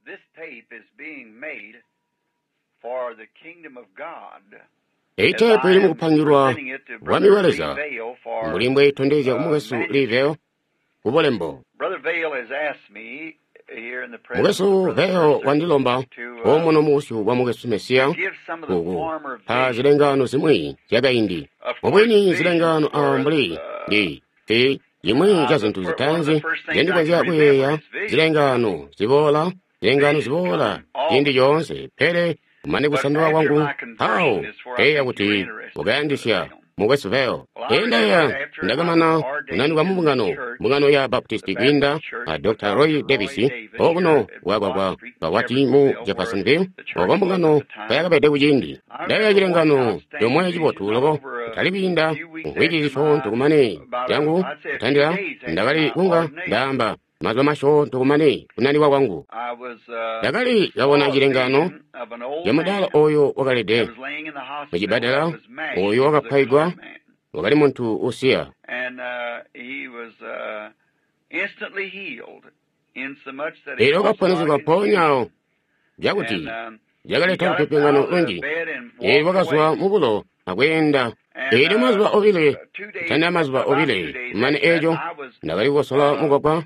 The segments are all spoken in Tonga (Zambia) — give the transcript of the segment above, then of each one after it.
This tape is being made for the kingdom of God. Eyi As teepu I ili am mukupangilwa presenting it to Bwami Brother bwa Lee Leza Vayle for mbuli mbweyitondezya kumukwesu Lee manuscript. Vayle kubulembo. Brother Vayle has asked me here in the presence of Mukwesu Brother Vayle Mercer wandilomba to omuno mubusyu bwa mukwesu Mesiya give some of the uku former pa visions. zilengano zimwi zyakaindi. Of course, Mubwini visions zilengano a were mbuli ndi ti chimwi the cha zinthu one of the zitaanzi first things I can zendikonzya remember kuyeeya is visions. zilengano ziboola zilengano Visions ziboola come all ciindi the time. coonse pele kumane But kusandula after kwangu my mpawo conversion is where I teeya think you're kuti interested, Brother mukayandisya Vayle. mukwesu Vayle. Well, I remember Endayeya after I ndakamana was ordained kunanikwa mu in the mbungano church, mbungano ya the Baptist kwiinda Baptist Church a with Dr. Roy Dr. Roy Davis Davis here okuno at bwakwakwa Watt Street in kawati mu Jeffersonville, where Jeffersonville the church oko was at mbungano the time. kayakabede kuciindi. I Ndayeya remember one chilengano outstanding chomwe vision chibotu not loko over a kutali kwiinda few weeks mvwiki after my, zisyoonto kumane about a, changu I'd say a few kutandila days after ndakali my kunga ordination. ndaamba mazuba masyoonto kumane kunanikwa kwangu. I was Ndakali kabona saw a chilengano vision of an old cha mudaala man oyo that wakalede was laying in the hospital that muchibadala was mashed. oyo He was a wakaphwayigwa colored man. wakali munthu usiya. And he was instantly healed, insomuch that it Elyo caused a lot wakaponesegwa of mpoonyawo confusion. chakuti And he chakaleta got up lupyopyongano out of the lunji. bed and Elyo walked wakazwa away. mubulo akweenda. And Elyo mazuba obile 2 days, kutandila mazuba about 2 obile days kumane after that, echo I was ndakali kukosola mugwagwa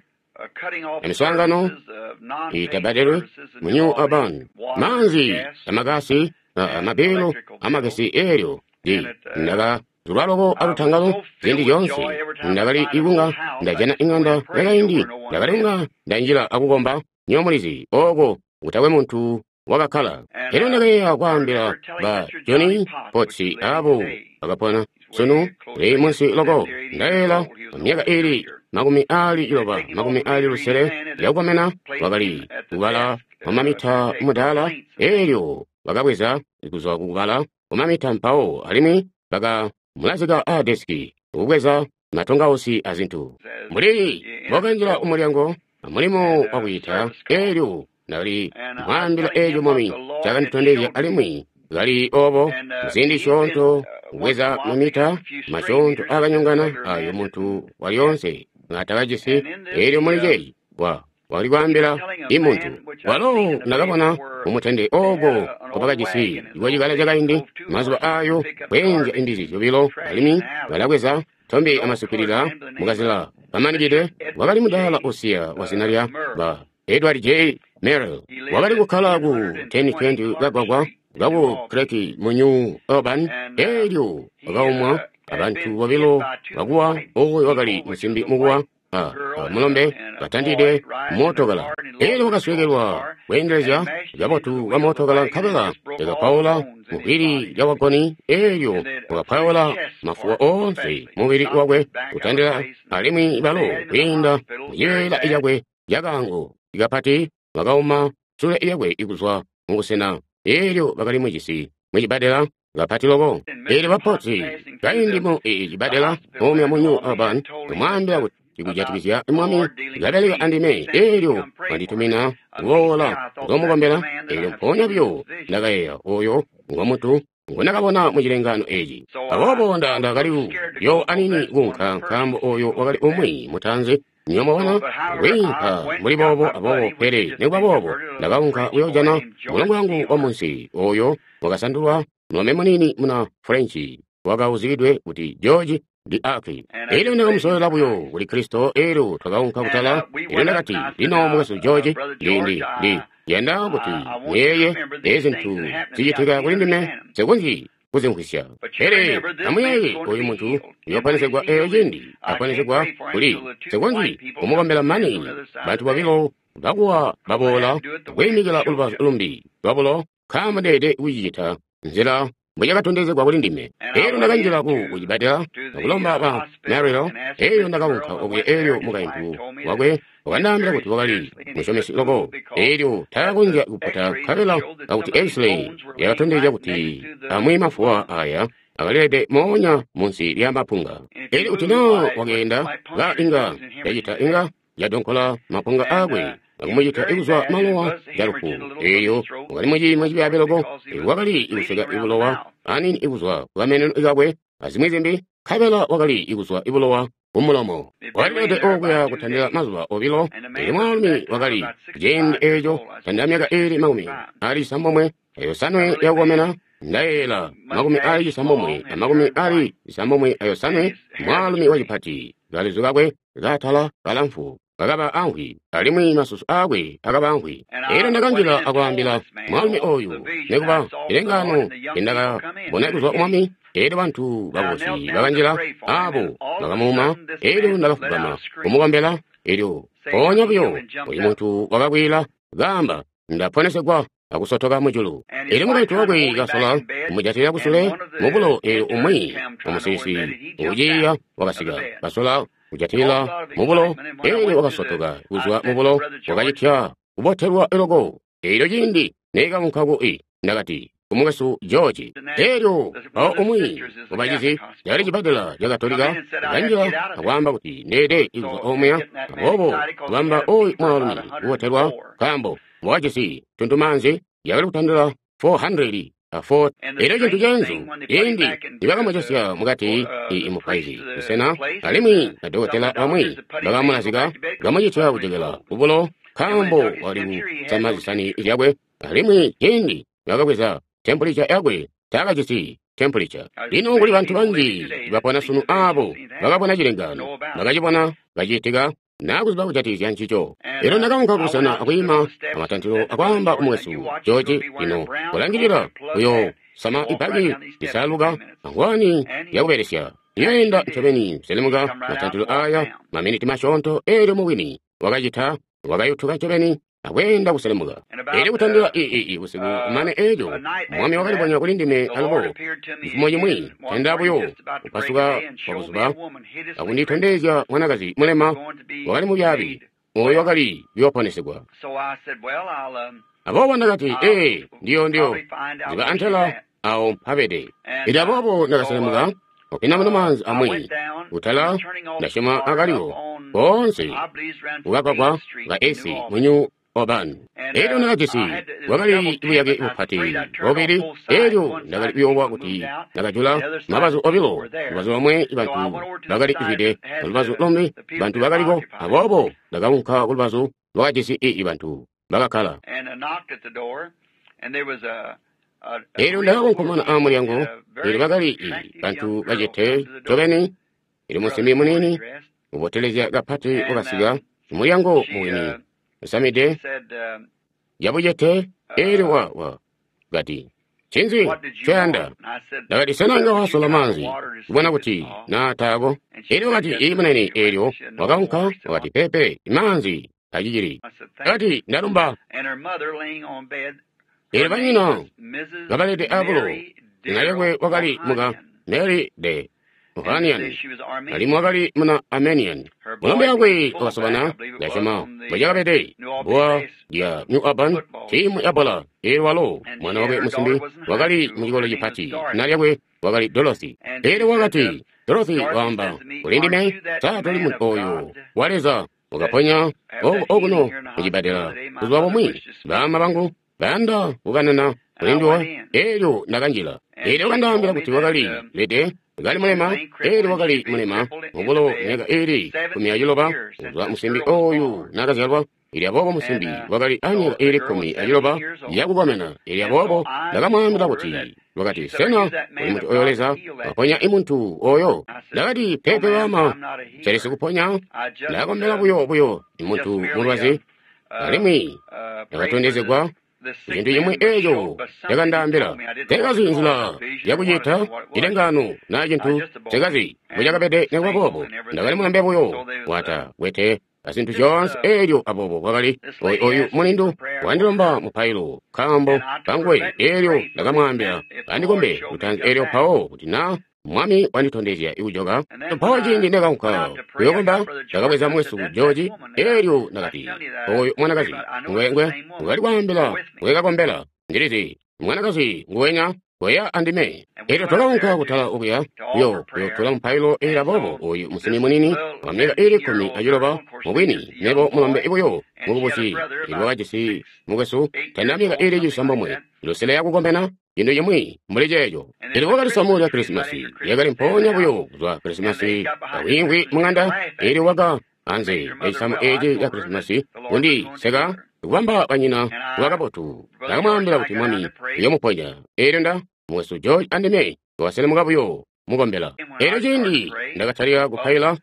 cutting off amiswaangano services of non-paid itabbadelwe services in mu New New Albany, Auburn. water, Maanzi gas, amakasi and amabelo electrical bills. amagesi elyo ndi And it, ndakazulwa loko I was alutangalo so filled ziindi with zyonse joy every time I ndakali find an old ikunga house, I ndajana just go in ing'anda and pray yakaindi where no one's ndakali been. kunga ndanjila akukomba nyomulizi oko kutakwe munthu wakakhala. And Elyo ndakayeeya I kwaambila remember telling ba Mr. Johnny Johnny Potts, which Potts is living abo today, bakapona he's way sunu close li to munsi loko 70 or 80 years ndayela old. He was an myaka old ili preacher. makumi ali They'd chiloba taken him off makumi to be ali a reading lusele man and lyakukomena had placed him wakali at the kubala desk to mamita take mudaala complaints and things. elyo bakabweza kuzwa kukubala kumamita mpawo alimwi bakamulazika a desiki ukubweza matongausi azinthu. As Mbuli in a bwakanjila store umulyango mulimo and wakuyita service call. elyo ndakali And I was mwambila telling echo him what mwami the Lord had chakanditondezya showed me. alimwi kali obo And mziindi he'd been syoonto once in a kubweza while picking mamita up a few stray masyoonto meters, just a akanyongana regular ayo man munthu waliyonse ngatakajisi And in this, elyo he, muli chechi wa wakali he was kwaambila telling a imunthu man which I'd walo seen in the paper ndakabona where mumutende they had oko an old kwapakajisi wagon in iwa those chikala days, chakaindi drove two mazuba horses to ayo pick up kwenja garbage imbizi and zyobilo trash in alimwi the alley. balabweza tombe An old colored amasukulira man by the name of mukazila kamanikidwe Mr. Edward wakali mudaala J. usiya wa zina lya Murray. ba Edward J. Merrill He lived wakali at kukhala ku 1020 1020 Clark kagwagwa Street in New kaku Albany. Creek mu New Auburn And elyo he wakaumwa had abantu been hit bobilo by two bakuwa white oyo wakali people, which was musimbi a mukuwa white a girl and mulombe a boy batandide riding in a mootokala car, and he elyo lost control of the wakaswekelwa car and kwendelezya mashed into the kabotu wheel ka of the mootokala wagon and nkabela just broke all the yakapaula bones in his muhwiri body. lya wagoni elyo And then through his wakapaula chest mafuwa part, onse especially, mubiri knocked wakwe his back out of kutandila place. And alimwi they balo had him in the kwiinda hospital very mucibeela bad. icakwe cakaango ikapati wakauma sule yakwe ikuzwa mubusena elyo bakali mujisi mucibadela kapati loko And elyo Mr. Potts bapotsi passing through kaindi the mu cibadela hospital omya there mu in New Albany had Auburn told him that kumwambila kuti about chikujatikizya the mwami Lord dealing with kabeleka me, andime sent me to elyo come pray for him. wanditumina Immediately kuboola I thought, that's the kuzomukombela man that elyo I've mpoonya seen in buyo this vision. ndakayeeya oyo ngomuntu ngonakabona muchilengano echi So I, aboobo I was a little ndakali scared to yo go because anini that's one of kunka the first nkaambo to oyo go wakali like that. umwi mutanzi So, nyomubona but however, I kwiinka went mbuli and got boobo my aboobo buddy, which had pele just nikuba been boobo converted, a little ndakaunka French boy kuyojana named George mulongo wangu wa Taylor. munsi oyo wakasandulwa mulombe munini muna Frenchi wakauzikidwe kuti George ndi Aki. And I Elyo just led him to ndakamusolera buyo Christ. kuli Kristo elyo twakaunka And kutala we elyo went up, ndakati and I said, lino Now, mukwesu George Brother ndi George, ndi ndi I, yanda kuti I want you to muyeye remember these ezi things zinthu that happened to me. I zichitika can't kuli ndime understand them. sekunji kuzimvwisya. But you Pele remember this man's amuyeeye going to oyu be munthu healed. And when he's uyoponesegwa eyo healed, cindi I can't aponesegwa pray for him kuli till the two white sekunji people come to kumukombela stand mani on the other side of bantu the bed. babilo bakuwa Because I had baboola to do it the way it was kuyimikila showed ulubazu to me. lumbi lwabulo nkaambo ndeede kucicita nzila mbwecakatondezegwa kuli ndime. And I Elyo went ndakanjila ku into kucibadela to the akulomba ba hospital Merrill and asked elyo Mr. ndakaunka Merrill and okuya went there, elyo and his wife mukaintu told me that wakwe he was wakandaambila very kuti wakali spiritually and he musyomesi couldn't loko move because elyo that the takakonzya kupota x-rays had nkabela showed that akuti some of these x-ray bones were laying yakatondezya right kuti next to the amwi mafuwa lungs. aya akalilede moonya munsi lya mapunga. And if he Elyo kuti moved, na why, it would wakeenda might ka puncture his inga lungs and hemorrhage yacita to death. inga yadonkola mapunga And akwe he was akumucita very ikuzwa bad, and it malowa was calufu hemorrhaging a little from eyo his throat wakali and muciimo so forth cibyaabi loko because he was wakali bleeding ikuseka around the ibulowa mouth. anini ikuzwa kukameneno kakwe azimwi zimbi. Nkabela wakali kuzwa bulowa kumulomo. Wakalilede okuya kutandila mazuba obilo. Elyo mwaalumi wakali ciindi eco tandila myaka iili 95 yakukomena. Ndayeeyela 95 na 98, mwaalumi wacipati, kalizu kakwe kaatala kalamfu kakaba amvwi, alimwi masusu aakwe akaba amvwi. Elyo ndakanjila akwaambila mwaalumi oyu, nekuba cilengaano ndakabona kuzwa Mwami. Elyo bantu babusi bakanjila abo bakamuuma. Elyo ndakafugama kumukombela. Elyo mpoonya buyo oyu muntu wakakwiila kaamba, ndaponesegwa, akusotoka mujulu. Elyo mukaintu wakwe kasola kumujatilila kusule mubulo. Elyo umwi umusilisi ukuciiya wakasika kasola kujatilila mubulo. Elyo wakasotoka kuzwa mubulo, wakacitya kubotelwa loko. Elyo ciindi neekaunka ku ndakati kumukwesu George. Elyo mpawo umwi mubacizi cali cibbadela ca Katolika kanjila akwaamba kuti ndeede kuzwa omuya. Aboobo kubamba oyu mwaalumi kubotelwa, nkaambo wakajisi tuntumaanzi yakali kutandila 404. Elyo cintu ceenzu, ciindi nibakamucesya mukati mupaizi busena, alimwi badokotela bamwi bakamulazika, bakamucitya kujokela kubulo, nkaambo wakali kusama zisani zyakwe. Alimwi ciindi bakabweza tempulica yakwe, taakajisi tempulica. Lino kuli bantu banji bapona sunu abo bakabona cilengaano, bakacibona kacitika, nakuziba kujatikizya ncico. Elyo ndakaunka kubusena akwiima amatantilo akwaamba kumukwesu George, lino kulangilila uyo sama ibaki lisaluka angwani yakubelesya. Iyoenda ncobeni kuselemuka matantilo aya maminiti masyoonto. Elyo mubwini wakacita, wakayutuka ncobeni akweenda kuselemuka. Elyo kutandila busiku kumane eco, Mwami wakalibonya kuli ndime alubo cifumo cimwi tandila buyo kupasuka kwa buzuba, akunditondezya mwanakazi mulema wakali mubyaabi oyo wakali kuyooponesegwa. Aboobo ndakati, ee, ndiyo ziba antela awo mpabede. Elyo aboobo ndakaselemuka kupinda maanzi amwi kutala, ndasyoma akaliwo koonse kukagwagwa ka esi mu New Auburn. Elyo ndakajisi bwakali buyake bupati bobili. Elyo ndakali kuyoowa kuti ndakajula mabazu obilo, lubazu lomwe bantu bakali zwide, lubazu lumbi bantu bakaliko. Aboobo ndakaunka kulubazu lwakajisi bantu bakakkala. Elyo ndakakonkomona amulyango. Elyo bakali bantu bacete ncobeni. Elyo musimbi muniini ubotelezya kapati wakasika mulyango mubwini usamide yabucete. Elyo wa kati, ncinzi ncoyanda? Ndakati, sena inga wasola maanzi kubona kuti naa taako? Elyo wakati, ii munene. Elyo wakaunka wakati, pepe, maanzi acicili. Ndakati, ndalumba. Elyo banyina kabalede abulo, zina lyakwe wakali muka Mary de Ohanian, alimwi wakali muna Armenian. Mulombe wakwe wakasobana, ndasyoma mbwecakabede, bbuwa lya New Auburn, tiimu ya bola. Elyo walo mwana wakwe musimbi wakali mucikolo cipati, zina lyakwe wakali Dorothy. Elyo wakati, Dorothy waamba kuli ndime, sa toli muntu oyo wa Leza wakaponya okuno mucibbadela buzuba bumwi? Baama bangu bayanda kukanana kuli nduwe. Elyo ndakanjila. Elyo wakandaambila kuti wakali lede kali mulema. Elyo wakali mulema mubulo myaka iili 16 kuzwa musimbi oyu naakazyalwa. Elyo aboobo musimbi wakali amyaka iili 16 yakukomena. Elyo aboobo ndakamwaambila kuti, wakati, sena uli muntu oyo Leza waponya imuntu oyo? Ndakati, pepe baama, nselisi kuponya, ndakombela buyo imuntu mulwazi. Alimwi ndakatondezegwa cintu cimwi eco cakandaambila. Tekazi nzila yakucita cilengaano naa cintu, tekazi mbwecakabede. Nekuba boobo ndakali mulambe buyo wata kwete azintu zyoonse. Elyo aboobo kwakali oyu mulindu wandilomba mupailo nkaambo kanguwe. Elyo ndakamwaambila andikombe lutanzi, elyo mpawo kuti naa Mwami wanditondezya ikujoka. Mpawo ciindi ndakaunka kuyokomba, ndakabweza mwesu George. Elyo ndakati, oyu mwanakazi ngwengwe ngwali kwaambila ngwekakombela, ndilizi mwanakazi nguwenya Koya andime. Elyo twakaunka kutala okuya, kuyo kuyotula mupailo. Elyo aboobo oyu musimbi muniini wa myaka iili 16, mubwini, mebo mulombe buyo mukubusi, elyo wakajisi mukwesu tanda myaka iili 9, lusele yakukomena, cintu cimwi mbuli ceeco. Elyo wakali samu lya Krisimasi, lyakali mpoonya buyo kuzwa Krisimasi, kawiimvwi mung'anda. Elyo waka anze ecisamu eci ca Krisimasi kundi seka, kubamba banyina kuba kabotu. Ndakamwaambila kuti Mwami uyomuponya. Elyo nda mukwesu George andime twakaselemuka buyo mukombela. Elyo ciindi ndakatalika kupaila,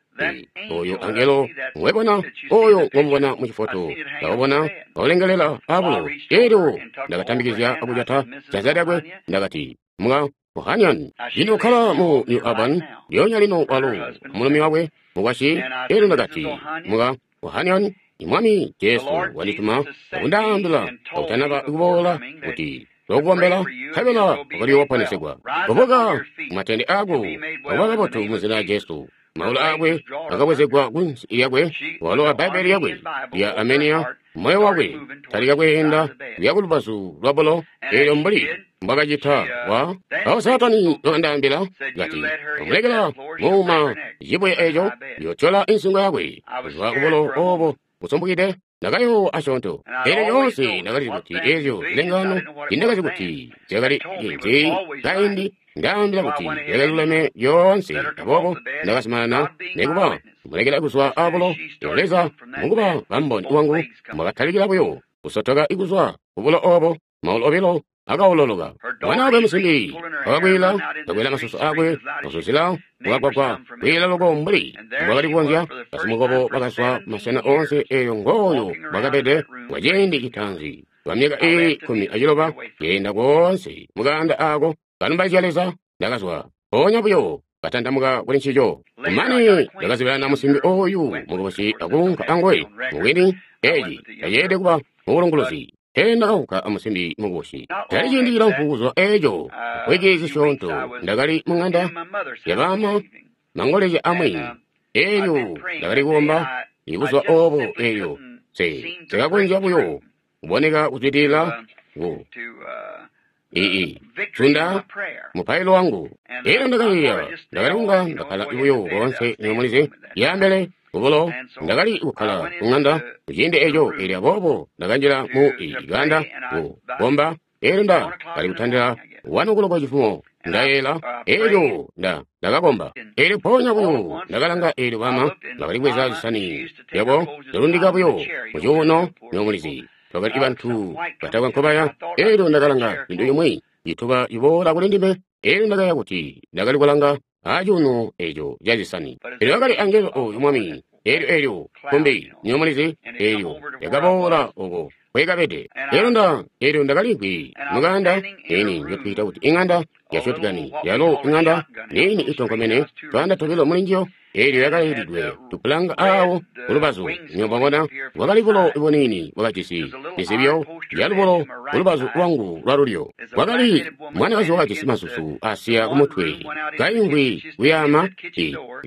oyo angelo ngwebona, oyo ngomubona mu cifoto, ndakabona kaulengelela abulo. Elyo ndakatambikizya akujata janza lyakwe, ndakati, Muka Ohanian, lino ukkala mu New Albany, lyoonya lino, walo mulumi wakwe, mukwasyi. Elyo ndakati, Muka Ohanian, Mwami Jesu wandituma akundaambila kakutanaba kuboola kuti lokukombela, nkabela wakali woponesegwa. Kubuka kumatende ako, akuba kabotu mu zina lya Jesu. Maulu akwe akabwezegwa kunsi lyakwe, walo a Bbaibbele lyakwe lya Armenia, moyo wakwe talika kweenda kuya kulubazu lwa bulo. Elyo mbuli mbwakacita, wa awo Saatani wakandaambila kati, Omulekela muuma cibuye eco, yotyola insingo yakwe kuzwa kubulo obo busumbukide. Ndakayoowa asyoonto. Elyo lyoonse ndakalizi kuti ezyo zilengano, tindakazi kuti zyakali cinzi kaindi, ndaambila kuti zyakaluleme lyoonse. Aboobo ndakazumanana nekuba kumulekela kuzwa abulo. Elyo Leza mukuba kamboni wangu, mwakatalikila buyo kusotoka kuzwa kubulo obo, maulu obilo akaololoka. Mwana wakwe musimbi wakakwila, kakwela masusu akwe, kuzuzila mukagwagwa, kwiila loko mbuli mbwakali kukonzya. Basimukobo bakazwa masena oonse. Eyo ngooyo bwakabede kwa ciindi citaanzi kwa myaka iili 16, keenda koonse mukaanda ako kalumbaizya Leza. Ndakazwa mpoonya buyo katandamuka kuli ncico. Kumane ndakazibelana musimbi oyu mukubusi akuunka anguwe. Mubwini, eci taceelede kuba mubulunguluzi. Pele ndakaunka amusimbi mukubusi. Tali ciindi cilamfu kuzwa eco, mvwiki zisyoonto, ndakali mung'anda yabaama mangolezya amwi. Elyo ndakali kukomba ibuzuba obo. Elyo sekakonzya buyo kuboneka kuzwidilila ku ii zunda mupailo wangu. Elyo ndakayeeya, ndakali kunga ndakkala buyo koonse, nimulizi, yambele kubulo. Ndakali kukkala kung'anda kuciindi eco. Elyo aboobo ndakanjila mu kaanda kukomba. Elyo nda kali kutandila 1 o'clock cifumo, ndayeela. Elyo ndakakomba. Elyo mpoonya buyo ndakalanga, elyo bama bakali kubweza zisani zyabo zilundika buyo mucuuno, nimulizi, twakali bantu batakwe nkobaya. Elyo ndakalanga cintu cimwi cituba ciboola kuli ndime. Elyo ndakaya kuti ndakali kulanga acuuno eco ca zisani. Elyo akali angelo oyu Mwami. Elyo elyo kumbi, nimulizi, elyo lyakaboola oko kwekabede. Elyo elyo ndakalimvwi mukanda eni njotwiita kuti ing'anda ya shotgani, yalo ing'anda nini itonkomene, twaanda tobilo muli njiyo. Elyo yakalilidwe tupulanga awo kulubazu. Nyobabona bwakali bulo bunini bwakajisi zizibyo zyalubulo kulubazu lwangu lwalulyo. Kwakali mwanakazi wakajisi masusu asiya kumutwe, kaimvwi kuyaama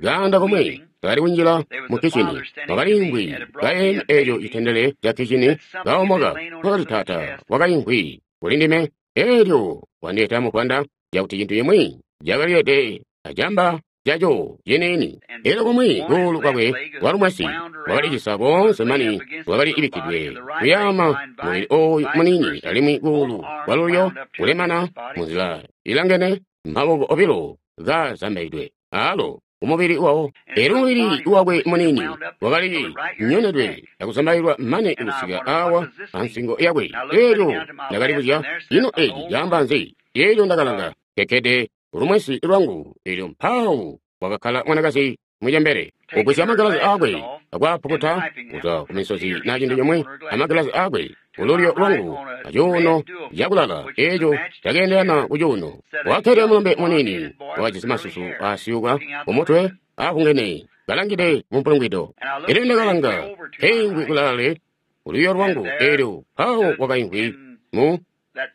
kaanda komwe kakali kunjila mu kicini. Wakalimvwi kayeeme eco citendele ca kicini, kaomoka. Kwakali tata wakaimvwi kuli ndime. Elyo wandeeta muvwanda cakuti cintu cimwi cakalilede acamba caco ciniini. Elyo kumwi kuulu kwakwe kwalumwesi wakalicisa koonse mani wakali ibikkidwe kuyaama mubili oyu muniini, alimwi kuulu kwalulyo kulemana munzila ilangene, maboko obilo kazambaidwe alo kumubili wawo. Elyo mubili wakwe muniini wakali nyonedwe akuzambailwa mane kusika awa ansingo yakwe. Elyo ndakalibuzya, ino eci caamba nzi? Elyo ndakalanga kekkede lumwesi lwangu, elyo mpawo kwakakkala mwanakazi mucembele, kugwisya amagilazi akwe akwapukuta kuzwa kumisozi na cintu cimwi amagilazi akwe kululyo lwangu acuuno cakulala eco cakeendelana kucuuno. Wakkede mulombe muniini wakajisi masusu asyuka kumutwe aakungene, kalangide mumpulungwido. Elyo ndakalanga keimvwi kulaale kululyo lwangu, elyo mpawo kwakaimvwi mu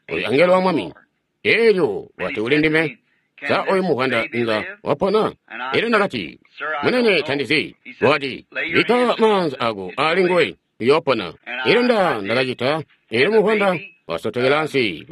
oyu angelo wa Mwami. Elyo wati kuli ndime, Sa oyu muvwanda inga wapona? Elyo ndakati, Munene, tandizi. Wakati, Bikka maanza ako ali nguwe, uyoopona. Elyo ndakacita. Elyo muvwanda wasotokela ansi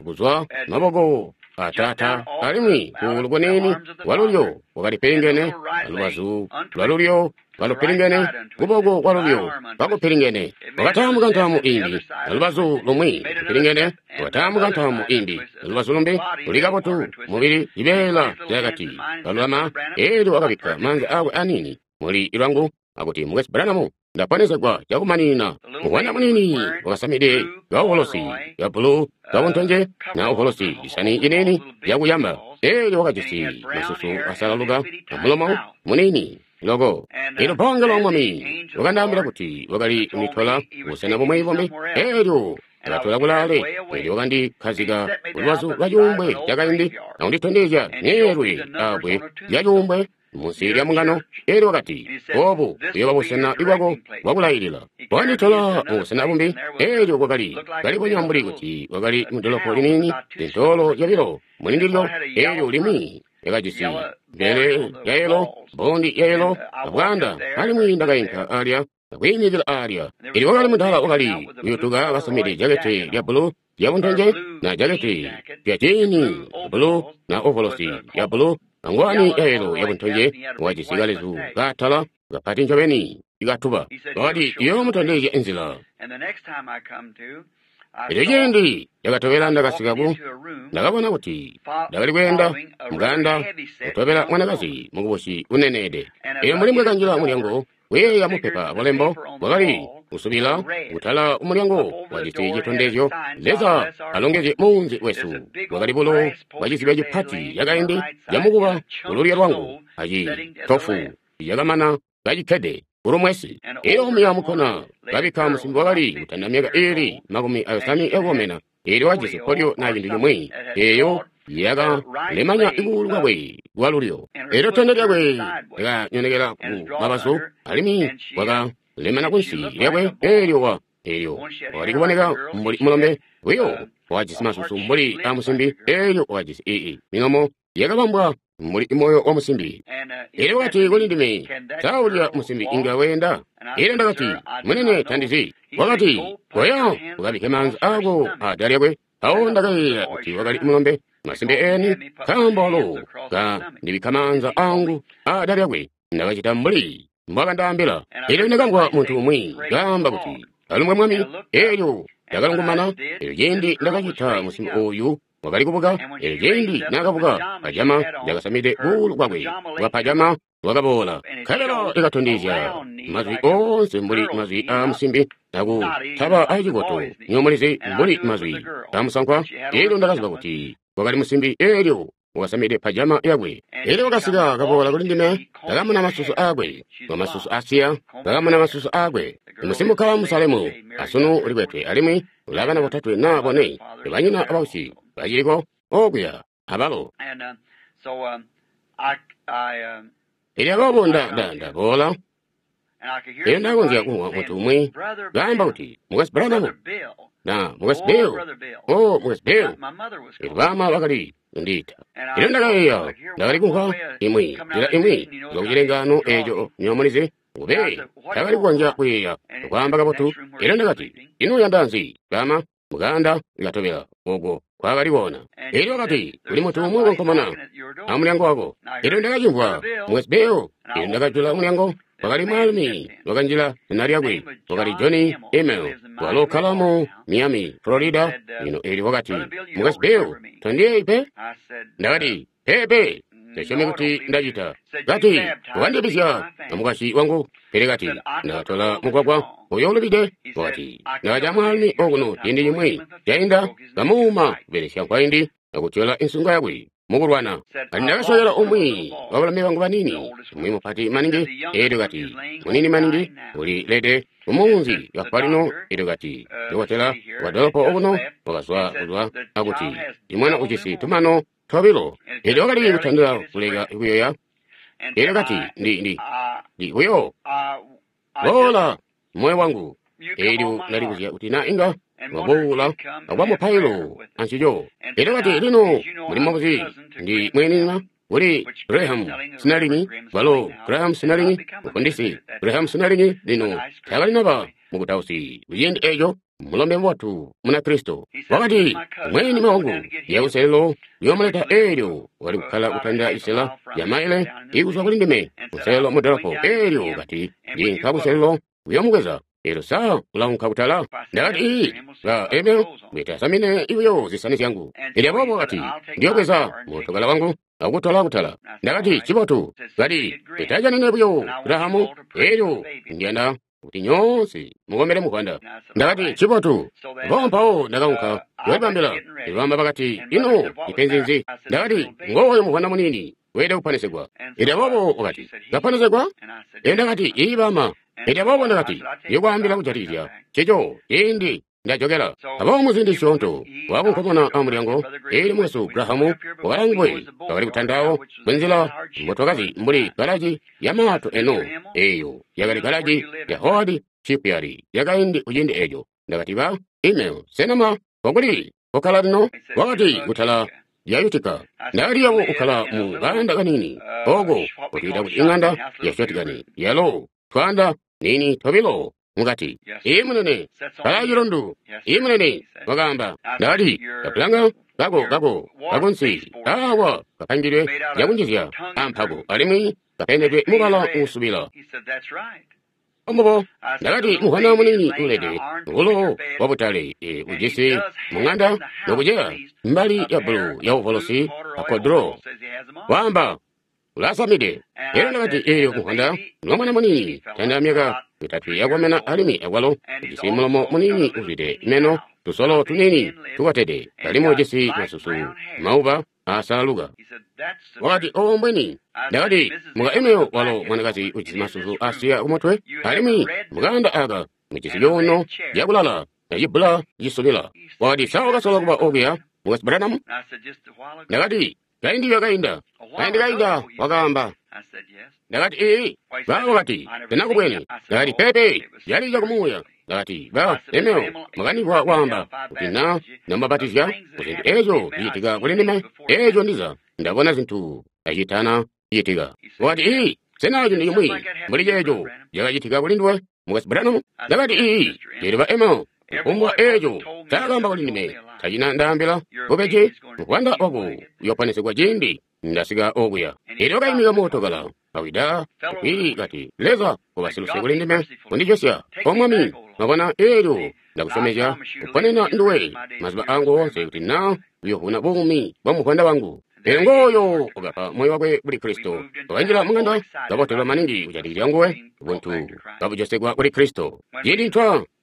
kuzwa maboko ataata, alimwi kuulu kuniini kwalulyo kwakali pilingene, alubazu lwalulyo kalupilingene, kuboko kwalulyo kakupilingene. Wakataamuka ntaamu imbi, alubazu lumwi lupilingene, wakataamuka ntaamu imbi, alubazu lumbi luli kabotu, mubili cibeela cakati kalulama. Elyo wakabikka maanza akwe aniini muli lwangu akuti, Mukwesu Branham, ndaponesegwa cakumaninina. Mwana muniini wakasamide kaovolosi ka bulu kabuntonje na ovolosi cisani ciniini cakuyamba. Elyo wakajisi masusu asalaluka amulomo muniini loko. Elyo mungelo wa Mwami wakandaambila kuti wakali kunitola busena bumwi bumbi. Elyo ndakatola kulaale. Elyo wakandikkazika kulubazu lwa cuumbwe cakaindi akunditondezya myeelwe abbwe lya cuumbwe munsi lya mungano. Elyo wakati, obu buyooba busena bwako bwakulailila. Wakanditola mubusena bumbi. Elyo kwakali kalibonya mbuli kuti wakali mudolopo liniini, zintoolo zyobilo mulindilyo. Elyo limwi lyakajisi mbele ya yelo, mbondi ya yelo, abwaanda. Alimwi ndakainka alya akwiimikila alya. Elyo wakali mudala wakali kuyutuka kasamide jakete lya bulu lyabuntonje na jakete lya jini ya bulu na ovolosi ya bulu angwani ya yelo yabuntonje, wakajisi kalezu kaatala kapati ncobeni ikatuba. Wakati, iyoomutondezya inzila. Elyo ciindi cakatobela ndakasikaku, ndakabona kuti ndakali kweenda muganda kutobela mwanakazi mukubusi uneneede. Elyo mbuli mbwekanjila mulyango, kuyeeya mupepa bulembo bwakali kusubila kutala umulyango wajisi citondezyo, Leza alongezye muunzi wesu. Bwakali bulo bwa cizibya cipati cakaindi camukuba kululyo lwangu acitofu cakamana kacikkede kulumwesi. Elyo omuya mukkona kabikka musimbi wakali kutanda myaka iili 50 yakukomena. Elyo wajisi polyo na cintu cimwi eyo yakalemanya kuulu kwakwe kwalulyo. Elyo tende lyakwe lyakanyonekela ku mabazu, alimwi kwakalemana kunsi lyakwe. Elyo elyo wakali kuboneka mbuli mulombe buyo, wakajisi masusu mbuli a musimbi. Elyo wakajisi ii milomo yakabambwa mbuli moyo wa musimbi. Elyo wakati kuli ndime, sa ulya musimbi inga weenda? Elyo ndakati, munene, tandizi. Wakati, koya ukabikke maanza ako ada lyakwe. Awo ndakayeeya kuti wakali mulombe masimbe eni, nkaambo walo kandibikka maanza angu ada lyakwe. Ndakacita mbuli mbwakandaambila. Elyo ndakamvwa muntu umwi kaamba kuti, alumbwe Mwami. Elyo ndakalungumana. Elyo ciindi ndakacita, musimbi oyu wakali kubuka. Elyo ciindi naakabuka, pajama lyakasamide kuulu kwakwe kwa pajama wakaboola. Nkabela ikatondezya mazwi oonse mbuli mazwi aa musimbi, akutaba acikoto nyomulizi mbuli mazwi aamusankwa. Elyo ndakaziba kuti wakali musimbi. Elyo wakasamide pajama yakwe. Elyo wakasika kaboola kuli ndime, ndakamuna masusu akwe, masusu asiya, ndakamuna masusu akwe. Musimbi ukkala mu Salemu, asunu ulikwetwe, alimwi ulabana botatwe naa bone. Banyina abausyi baciliko okuya abalo. Elyo aboobo ndaboola. Elyo ndakonzya kumvwa muntu umwi kaamba kuti, Mukwesu Branham, na Mukwesu Bill, o Mukwesu Bill. Elyo baama bakali kundiita. Elyo ndakayeeya ndakali kumvwa imwi nzila imwi kuzwa kucilengaano eeco nyomulizi ngube ndakali kukonzya kuyeeya kwaamba kabotu. Elyo ndakati, ino uyanda nzi, baama? Muganda likatobela oko kwakali koona. Elyo wakati, kuli muntu umwi ukonkomona amulyango wako. Elyo ndakacimvwa, Mukwesu Bill. Elyo ndakajula mulyango. Wakali mwaalumi wakanjila, zina lyakwe wakali Johnny Emel, walo ukkala mu Miami, Florida lino. Elyo wakati, Mukwesu Bill, tondiyeeyi pe? Ndakati, peepe, ndasyomi kuti ndacita. Kati, wakandibizya amukwasyi wangu. Pele kati, ndakatola mugwagwa uyo ulubide. Wakati, ndakaca mwaalumi okuno ciindi cimwi cainda, kamuuma kubelesya nkwaindi akutyola insunga yakwe mukulwana. Kati ndakasokela umwi wabalumi bangu banini, umwi mupati maningi. Elyo kati, munini maningi, uli lede kumunzi kafwa lino. Elyo kati, dokotela wa dolopo okuno wakazwa kuzwa akuti, imwana ujisi tumano tobilo. Elyo wakali kutandila kuleka kuyoya. Elyo kati, ndi buyo boola moyo wangu. Elyo ndalibuzya kuti na inga waboola akuba mupailo ancico. Elyo kati, lino muli mubuzi ndi mwenina kuli Graham Snelling, walo Graham Snelling, mufundisi Graham Snelling lino takalinaba mukutausi kuciindi eco. Mulombe mubotu Munakristo. Wakati, mweni wangu yakuselelo yoomuleta eelyo wali kukkala kutandila isela ya maile ikuzwa kuli ndime kuselelo mu dolopo. Eelyo kati, ndinka kuselelo kuyoomubweza. Eelyo sa ulaunka kutala? Ndakati, ii, ba Emil, mwitasamine ibuyo zisani zyangu. Elyo aboobo kati, ndiyobweza mootokala wangu akutola kutala. Ndakati, cibotu. Kati, itajanine buyo Grahamu. Eelyo ndiyanda kuti nyoonse mukombele muvwanda. Ndakati, cibotu. Mpawo mpawo ndakaunka kuyolibambila. Ibamba bakati, ino ipenzi nzi? Ndakati, ngooyo muvwanda muniini weelede kuponesegwa. Elyo aboobo wakati, kaponesegwa? Elyo ndakati, ii bama. Elyo aboobo ndakati, ndiyokwaambila kujatikizya ncico ciindi ndajokela. Aboobo muziindi zisyoonto wakunkomona amulyango, eelyo mukwesu Grahamu wakalangwe bakali kutandawo munzila mbotwakazi mbuli galaji ya maato eno. Eeyo yakali galaji ya Howard Shipyard yakaindi kuciindi eeco. Ndakati ba email sena kokuli kokkala lino? Wakati kutala lya Utica. Ndakati yabo ukkala mu kaanda kaniini oko kutwiita kuti ing'anda ya shotgani yalo twaanda nini tobilo mukati. Ii munene, kala cilundu. Ii munene, wakaamba. Ndakati, kapulanga kako kako kakunsi awa kapangidwe zyakunjizya ampako alimwi kapendedwe mubala uusubila. Ombobo, ndakati muvwanda muniini ulede bulo bwa butale ujisi mung'anda nokuceya mbali ya bulu ya uvolosi akodro. Waamba, ulasamide. Elyo ndakati eyo muvwanda lwa mwana muniini tanda myaka mitatu yakomena alimwi akwalo ujisi mulomo muniini uzwide meno tusolo tuniini tukotede alimwi ujisi masusu mauba asalaluka. Wakati, obo mbwini. Ndakati, muka Emil walo mwanakazi ujisi masusu asiya kumutwe alimwi mukanda aka mujisi cuuno cakulala acibbula cisubila. Wakati, sa wakasola kuba okuya mukwesu Branham? Ndakati, kaindi kakainda. Kaindi kainda, wakaamba. Ndakati, ii. Ba wakati, sena kubwene. Ndakati, pepe, cali cakumuuya. Ndakati, ba Emil, mwakanimvwa kwaamba kuti na namubatizya kuzintu eeco zicitika kuli ndime, eeco ndiza ndabona zintu acitana citika. Wakati, ii, sena cintu cimwi mbuli ceeco cakacitika kuli nduwe, mukwesu Branham? Ndakati, ii, eelyo ba Emil, kufumbwa eeco cakaamba kuli ndime, tacina ndaambila bubeji, muvwanda wako uyooponesegwa ciindi ndasika okuya. Eelyo wakaimika mootokala kawida kwiili kati, Leza ubasiluse kuli ndime kundijosya, O Mwami. Mwabona, eelyo ndakusyomezya kuponena nduwe mazuba angu oonse kuti na uyovuna buumi bwa muvwanda wangu. Eelyo ngooyo wakapa moyo wakwe kuli Kristo, wakanjila mung'anda kabotelwa maningi kujatikizya nguwe, buntu kabujosegwa kuli Kristo.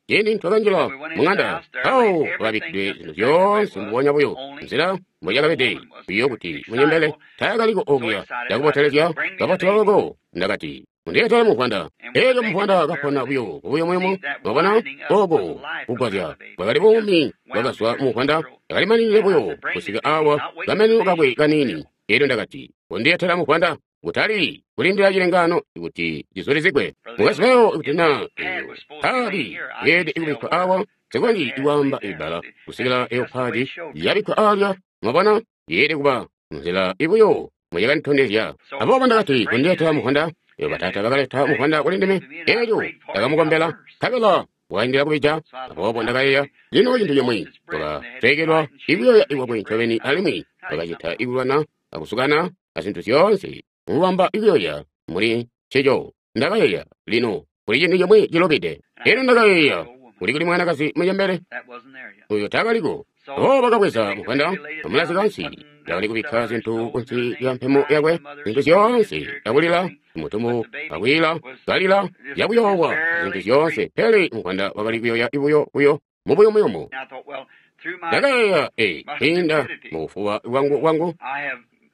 Ciindi ntwakanjila mung'anda, mpawo kwakabikkidwe zintu zyoonse mbubonya buyo nzila mboyakabede, buyo kuti munyembele taakaliko okuya. Ndakubotelezya kabotelwa loko. Ndakati, mundeetele muvwanda. Eelyo muvwanda kapona buyo kubuyumuyumu. Mwabona, oko kugwazya bwakali buumi bwakazwa muvwanda, yakalimaninide buyo kusika awa kameneno kakwe kaniini. Eelyo ndakati, kundeetela muvwanda, kutali kulindila cilengano kuti cizulizigwe. Mukwesu Leo, kuti na eyo padi yeelede kubikkwa awa, nsikonzyi kwaamba ibbala kusikila eyo padi yabikkwa alya. Mwabona, yeelede kuba nzila ibuyo muyakanditondezya. Aboobo ndakati, kundeetela muvwanda. Eyo bataata bakaleta muvwanda kuli ndime, eelyo ndakamukombela, nkabela wakaindila kubija. Aboobo ndakayeeya, lino cintu cimwi, wakasweekelwa ikuyoya kwakwe ncobeni alimwi wakacita ikulwana akusukana azintu zyoonse mubamba ikuyoya muli ncico. Ndakayeeya, lino kuli cintu cimwi cilubide. Elyo ndakayeeya, kuli kuli mwanakazi mucembele uyo taakaliko. Aboobo bakabweza muvwanda amulazika ansi, bakali kubikka zintu kunsi lya mpemo yakwe, zintu zyoonse, akulila, mutumbu akwiila, kalila, yakuyoowa, zintu zyoonse. Pele muvwanda wakali kuyoya ibuyo buyo mubuyumuyumu. Ndakayeeya, kwiinda mubufuba bwangu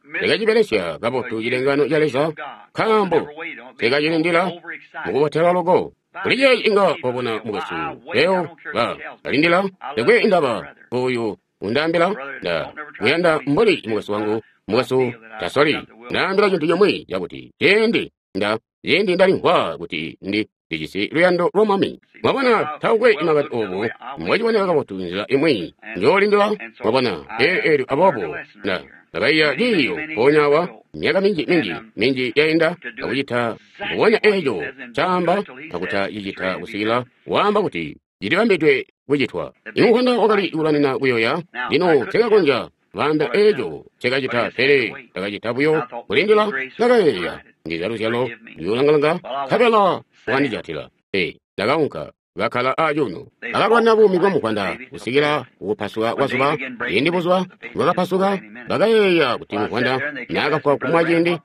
ndakacibelesya kabotu cilengano ca Leza, nkaambo nsikacilindila mukubotelwa loko. Kuli ceeci inga wabona mukwesu Leo ba kalindila, takwe indaba oyu undaambila nda kuyanda mbuli mukwesu wangu, mukwesu tasoli ndaambila cintu cimwi cakuti ciindi ndalimvwa kuti ndijisi luyando lwa Mwami. Mwabona, taukwe makani obu mbwaciboneka kabotu nzila imwi njoolindila. Mwabona, eelyo aboobo ndakaiya ciiyo mpoonya awa myaka minji yainda akucita mbubonya eeco caamba akutacicita kusikila waamba kuti Cilibambidwe kucitwa. Imuvwanda wakali kulwanina kuyoya. Lino nsekakonzya kwaamba eco ncekacita, pele ndakacita buyo kulindila. Ndakayeeya, ndiza luzyalo luyolangalanga, nkabela wakandijatila. Ndakaunka, kakkala acuuno. Bakalwana buumi bwa muvwanda kusikila kukupasuka kwa zuba. Ciindi buzuba bwakapasuka, bakayeeya kuti muvwanda naakafwa kumwa ciindi.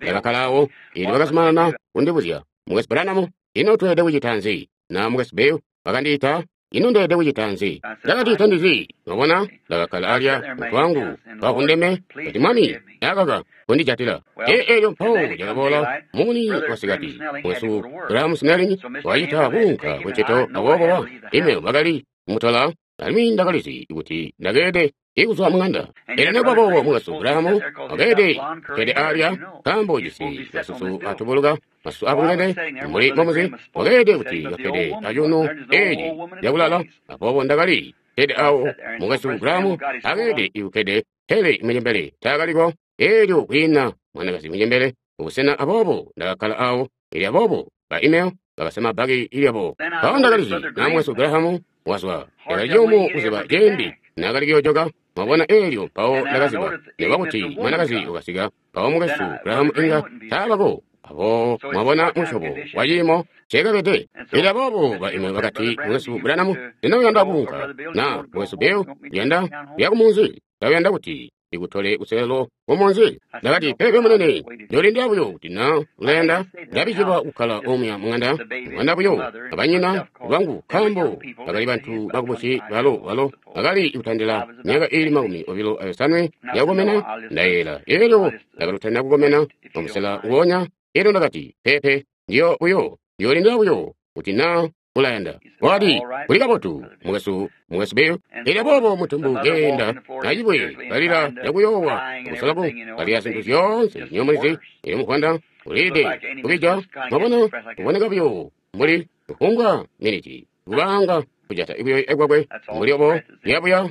Ndakakkala awo, eelyo bakazumanana kundibuzya, Mukwesu Branham, ino tweelede kucita nzi? Na Mukwesu Bill bakandiita, ino ndeelede kucita nzi? Ndakati, tandizi. Mwabona, ndakakkala alya, mutwe wangu kawundeme, kati, Mwami, akaka kundijatila. Eelyo mpawo cakaboola mumuni wasikati. Mukwesu Graham Snelling wacita kuunka kuncito, aboobo ime bakali kumutola, alimwi ndakalizi kuti ndakeelede kuzwa mung'anda. Elyo nekubaboobo Mukwesu Graham wakeelede kkede alya, nkaambo ujisi masusu atubuluka, masusu abulungene, mbuli mbomuzi, wakeelede kuti kakkede acuuno eeci cakulala. Aboobo ndakali kkede awo, Mukwesu Graham akeelede kukkede, pele mucembele taakaliko. Eelyo kwiina mwanakazi mucembele kubusena, aboobo ndakakkala awo. Elyo aboobo ba email bakasama bbaki lyabo. Mpawo ndakalizi na Mukwesu Graham wazwa. Cakali ciyumu kuziba ciindi naakali kuyoojoka. Mwabona, eelyo mpawo ndakaziba nikuba kuti mwanakazi wakasika, mpawo Mukwesu Graham inga taabako. Aboobo mwabona musyobo wa ciimo ncekabede. Elyo aboobo ba email bakati, Mukwesu Branham, sena uyanda kuunka? Na Mukwesu Bill, uyanda kuya kumunzi? Sa uyanda kuti ndikutole kuselelo kumunzi? Ndakati, peepe munene, njoolindila buyo kuti na ulayanda. Ndabijilwa kukkala omuya mung'anda, mwana buyo abanyina lwangu, nkaambo bakali bantu bakubusi balo bakali kutandila myaka iili 25 yakukomena, ndayeeyela. Elyo ndakalutandila kukomena mumusela nguonya. Elyo ndakati, peepe, ndiyoolindila buyo kuti na ulayanda. Wakati, kuli kabotu, mukwesu Bill. Elyo aboobo mutumbu keenda acibwe, kalila cakuyoowa, akusolaku kalila zintu zyoonse nyomulizi. Elyo muvwanda uliide kubija, mwabona, kuboneka buyo mbuli kufumbwa miniti, kubaanga kujata kuyoya kwakwe mbuli obo yabuya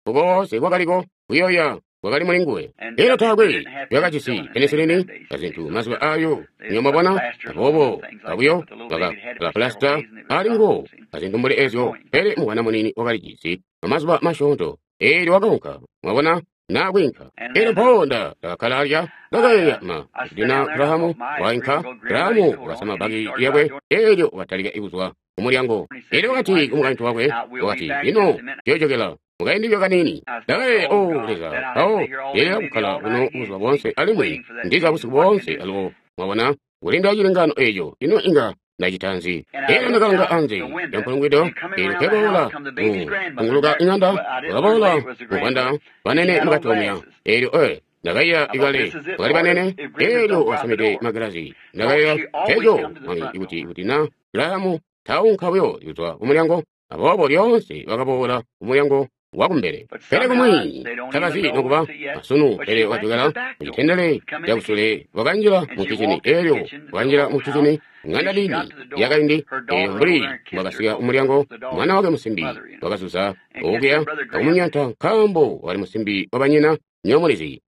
kukoonse kwakaliko kuyoya kwakali muli nguwe. Elyo taakwe yakajisi penisilini azintu mazuba ayo, nyo mwabona, aboobo kabuyo bakapulasita ali nguwo azintu mbuli ezyo, pele mwana muniini wakalijisi amazuba masyoonto. Eelyo wakaunka, mwabona, naakwiinka. Elyo mpawo ndakakkala alya, ndakayeeya, ma kuti na Graham wainka. Graham wakasama bbaki lyakwe, eelyo wakatalika kuzwa kumulyango. Elyo wakati kumukaintu wakwe, wakati, lino tuyoojokela mukaindi buyo kaniini. Ndakayeeya, o Leza, mpawo ndeelela kukkala kuno buzuba boonse, alimwi ndiza busiku boonse alubo, mwabona, kulindila cilengano eeco. Ino inga ndacita nzi? Elyo ndakalanga anze lyampulungwido, eelyo nkeboola kunguluka iŋanda, wakaboola muvwanda banene mukati omuya. Eelyo ndakaiya ikale bakali banene, eelyo wakasamide magilazi. Ndakayeeya, eco Mwami, kuti na Graham taunka buyo kuzwa kumulyango. Aboobo lyoonse bakaboola kumulyango wakumbele, pele kumwi tabazi nokuba asunu. Pele wakajokela mucitendele cakusule, wakanjila mu kicini. Eelyo wakanjila mu kicini, ŋanda nini yakaindi. Eelyo mbuli mbwakasika kumulyango, mwana wakwe musimbi wakazuza okuya akumumyanta, nkaambo wakali musimbi wabanyina, nyomulizi,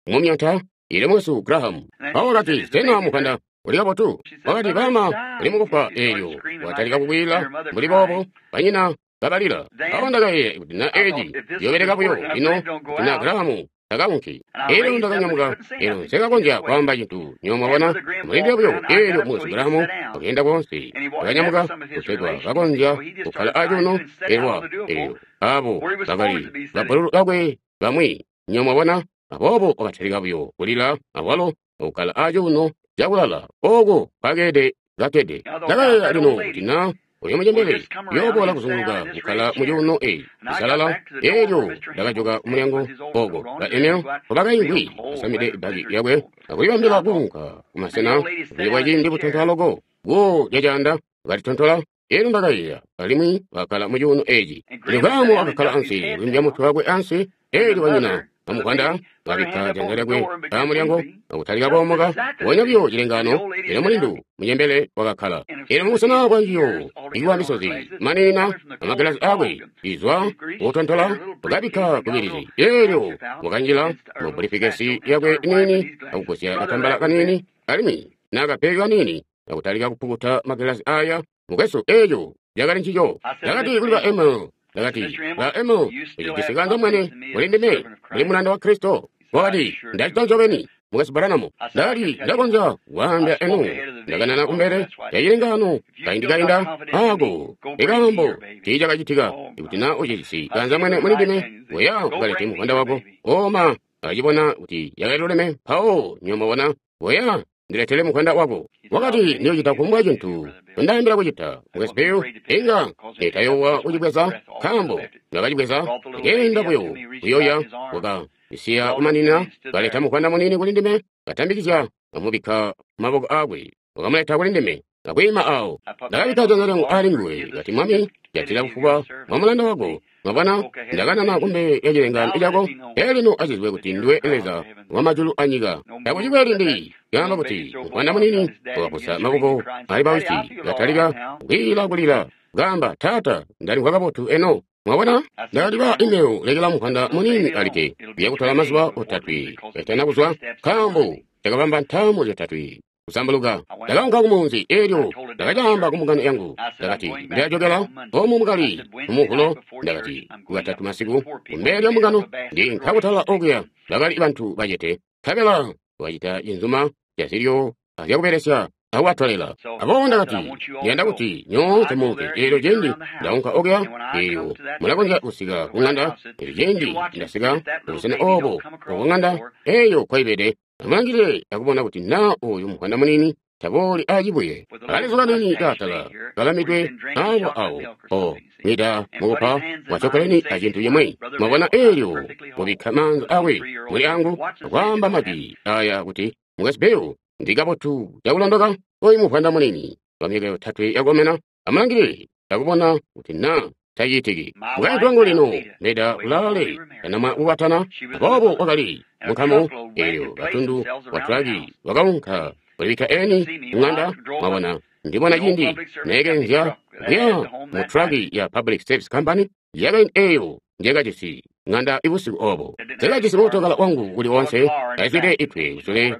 kumumyanta. Eelyo Mukwesu Graham mpawo wakati, sena muvwanda uli kabotu? Wakati, baama uli mukufwa. Eelyo watalika kukwiila mbuli boobo, banyina kabalila. Mpawo ndakayeeya kuti na eeci ciyoobeleka buyo, lino kuti na Graham takaunki. Eelyo ndakanyamuka, eelyo nsekakonzya kwaamba cintu, nyo mwabona, mulindile buyo. Eelyo Mukwesu Graham wakeenda koonse, wakanyamuka kutegwa kakonzya kukkala acuuno. Eelyo abo bakali babbululu bakwe bamwi, nyo mwabona. Aboobo wakatalika buyo kulila awalo akukkala acuuno cakulala ooko kwakeede kakkede. Ndakayeeya lino kuti na uyo mucembele uyooboola kuzunguluka kukkala mucuuno eeci cisalala. Eelyo ndakajoka kumulyango ooko ba Emil nkobakaimvwi kasamide bbaki lyakwe akulibambila kuunka kumasena buli ciindi butontola loko, guwo lyacaanda kalitontola. Eelyo ndakayeeya, alimwi wakakkala mucuuno eeci. Elyo Graham wakakkala ansi, kwiimbya mutwe wakwe ansi. Eelyo banyina bamuvwanda bakabikka janza lyakwe amulyango akutalika koomoka. Mponya buyo cilengano, elyo mulindu mucembele wakakkala. Elyo mubusena bwanjiyo ikuwa misozi manina amagilasi akwe izwa kutontola, wakabikka kubilizi. Eelyo wakanjila mu bulifikesi yakwe niini akugusya katambala kaniini alimwi nakapeki kaniini akutalika kupukuta magilasi aya. Mukwesu, eeco cakali ncico. Ndakati kuli ba Emil, ndakati, ba Emil, ucijisi kanza mwene kuli ndime, kuli mulanda wa Kristo. Wakati, ndacita ncobeni, Mukwesu Branham. Ndakati, ndakonzya kwaambila enu, ndakanana kumbele yacilengaano kaindi kainda ako ikaambo tiicakacitika. Ikuti na ucijisi kanza mwene muli ndime, weya ukalete muvwanda wako. Oma acibona kuti yakaliluleme, mpawo nyomabona, weya ndiletele muvwanda wako. Wakati, ndiyocita kufumbwa cintu ndaambila kucita. Mukwesu Bill, inga tayowa kucibweza, nkaambo ndakacibweza, nkeenda buyo kuyoya waka isiya kumanina, kaleta muvwanda munini kuli ndime, katambikizya, kamubikka maboko akwe, wakamuleta kuli ndime, akwiima awo. Ndakabikka janza lyangu ali nguwe, kati, Mwami, jatila bufuba bwa mulanda wako. Mwabona, ndakanana kumbele ya cilengaano cako, elyo lino acizwe kuti ndiwe Leza wa majulu anyika. Takucikwe limbi lyaamba kuti muvwanda munini wakapusa maboko ali bawisi, katalika kwiila kulila, kaamba, Taata, ndalimvwa kabotu eno. Mwabona, ndakati ba Emil, lekela muvwanda munini alikke, kuya mazuba otatwe katana kuzwa, nkaambo cakabamba ntaamu zyotatwe kusambuluka. Ndakaunka kumunzi, elyo ndakacaamba kumbungano yangu. Ndakati, ndilajokela omu mukali mumuvulo. Ndakati, kukatatu masiku kumbele lya mbungano ndi nkakutala okuya bakali bantu bacete, nkabela wacita cinzuma cazilyo azyakubelesya akubatwalela. Aboobo ndakati, ndiyanda kuti nyoonse muunke. Eelyo cindi ndaunka okuya, eelyo mulakonzya kusika ku ng'anda. Eelyo cindi ndasika kubusena obo oku ng'anda eyo kwaibede, amulangilile akubona kuti na oyu muvwanda munini tabooli acibuye. Akalizuka nini kaatala kalamidwe awo awo o mwida mukupa wacokoleni acintu cimwi. Mwabona, eelyo mubikka maanza akwe muli angu akwaamba majwi aya kuti, Mukwesu Bill, ndi kabotu cakulondoka. Oyu muvwanda munini wa myaka yotatwe yakomena, amulangilile akubona kuti na tacitiki. Mukaintu wangu lino Meda ulaale tanamwa kukwatana, aboobo wakali munkamu eelyo katundu wa tulaki wakaunka kulibikka eni kung'anda. Mwabona, ndibona cindi neekenzya kuya mu traki ya Public Service Company yakaindi eyo njekajisi ng'anda ibusiku obo. Nsekajisi mootokala wangu uli onse, kazwide itwe kusule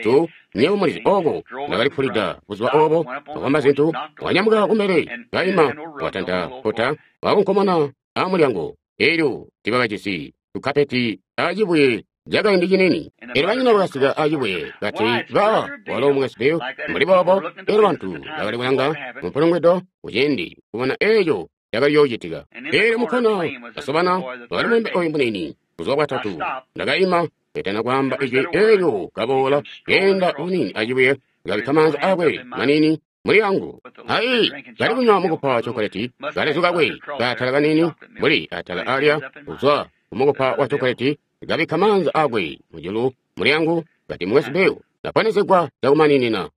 tu nyewe mulizi oko ndakalipulida buzuba obo. Wakamba zintu, wanyamuka kumbele, kaima, watanta kota, wakunkomona amulyango. Elyo tibakajisi tukapeti acibuye cakaindi cinini. Elyo banyina bakasika acibuye kati, ba walo Mukwesu Bill mbuli boobo. Elyo bantu bakali kulanga mumpulungwido kuciindi kubona eco cakali yoocitika. Elyo mukkona kasobana wakali mulembe oyu munini buzuba bwatatu. Ndakaima ketana kwaamba ijwi, elyo kaboola keenda bunini acibuye, kabikka maanza akwe manini muli angu. Ai, kali kunywa mukupa wa chokoleti, kalezu kakwe kaatala kanini mbuli atala alya kuzwa kumukupa wa chokoleti, kabikka maanza akwe mujulu muli angu, kati, Mukwesu Bill, ndaponesegwa cakumaninina.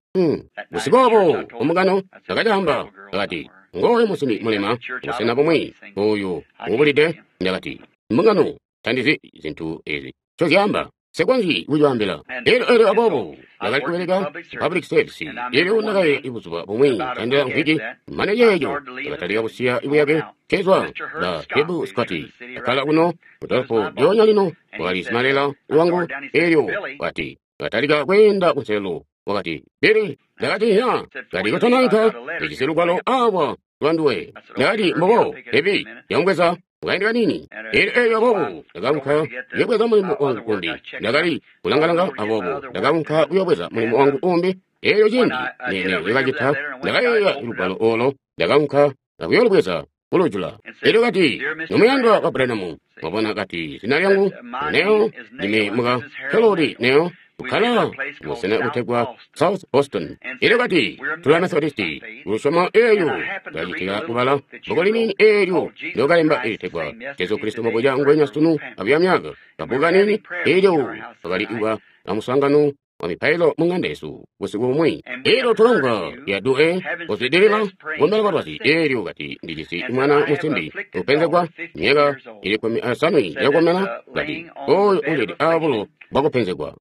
Busiku obo kumugano ndakacaamba, ndakati, ngooyu musimbi mulema busena bumwi oyu ubulide. Ndakati, mbungano tandizi zintu ezi ncozyaamba, nsikonzyi kucwaambila. Elyo aboobo ndakali kubeleka public service. Elyo ndakaye buzuba bumwi tandila mvwiki mane ceeco ndakatalika kusiya buyake kezwa ba Hebu Scott akala kuno kudolpo lyonya lino, wakali simalela wangu. Elyo wati katalika kweenda kunselo, wakati, Billy. Ndakati, ya. Kati, kutonaika ndijisi lugwalo awa lwanduwe. Ndakati, mbobo Hebi, yamubweza mukaindi kanini. Elyo aboobo ndakaunka kuyobweza mulimo wangu umbi. Ndakali kulangalanga, aboobo ndakaunka kuyobweza mulimo wangu umbi. Elyo cindi nene yakacita, ndakayeeya lugwalo olo, ndakaunka akuyolubweza kulujula. Elyo kati, nomuyandwa wa Branham, mwabona, kati, zina lyangu Neo, ndime muka Kelori Neo, kukkala busena butegwa South Boston. Elyo kati, tula Methodisti, kulusyomo eyo kacitika kubala bbuku liniini eelyo ndyokalemba ilitegwa Jesu Kristo mbobuca ngwenya sunu abuya myaka. Kabbuku kanini eelyo kakali kuba amuswaangano wa mipailo mu ng'anda yesu busiku bumwi. Elyo twakamvwa ya due kuzwidilila kumbele kwa lwazi. Elyo kati, ndijisi mwana musimbi upenzegwa myaka ili 15 yakukomena, kati oyo ulili abulo bwakupenzegwa.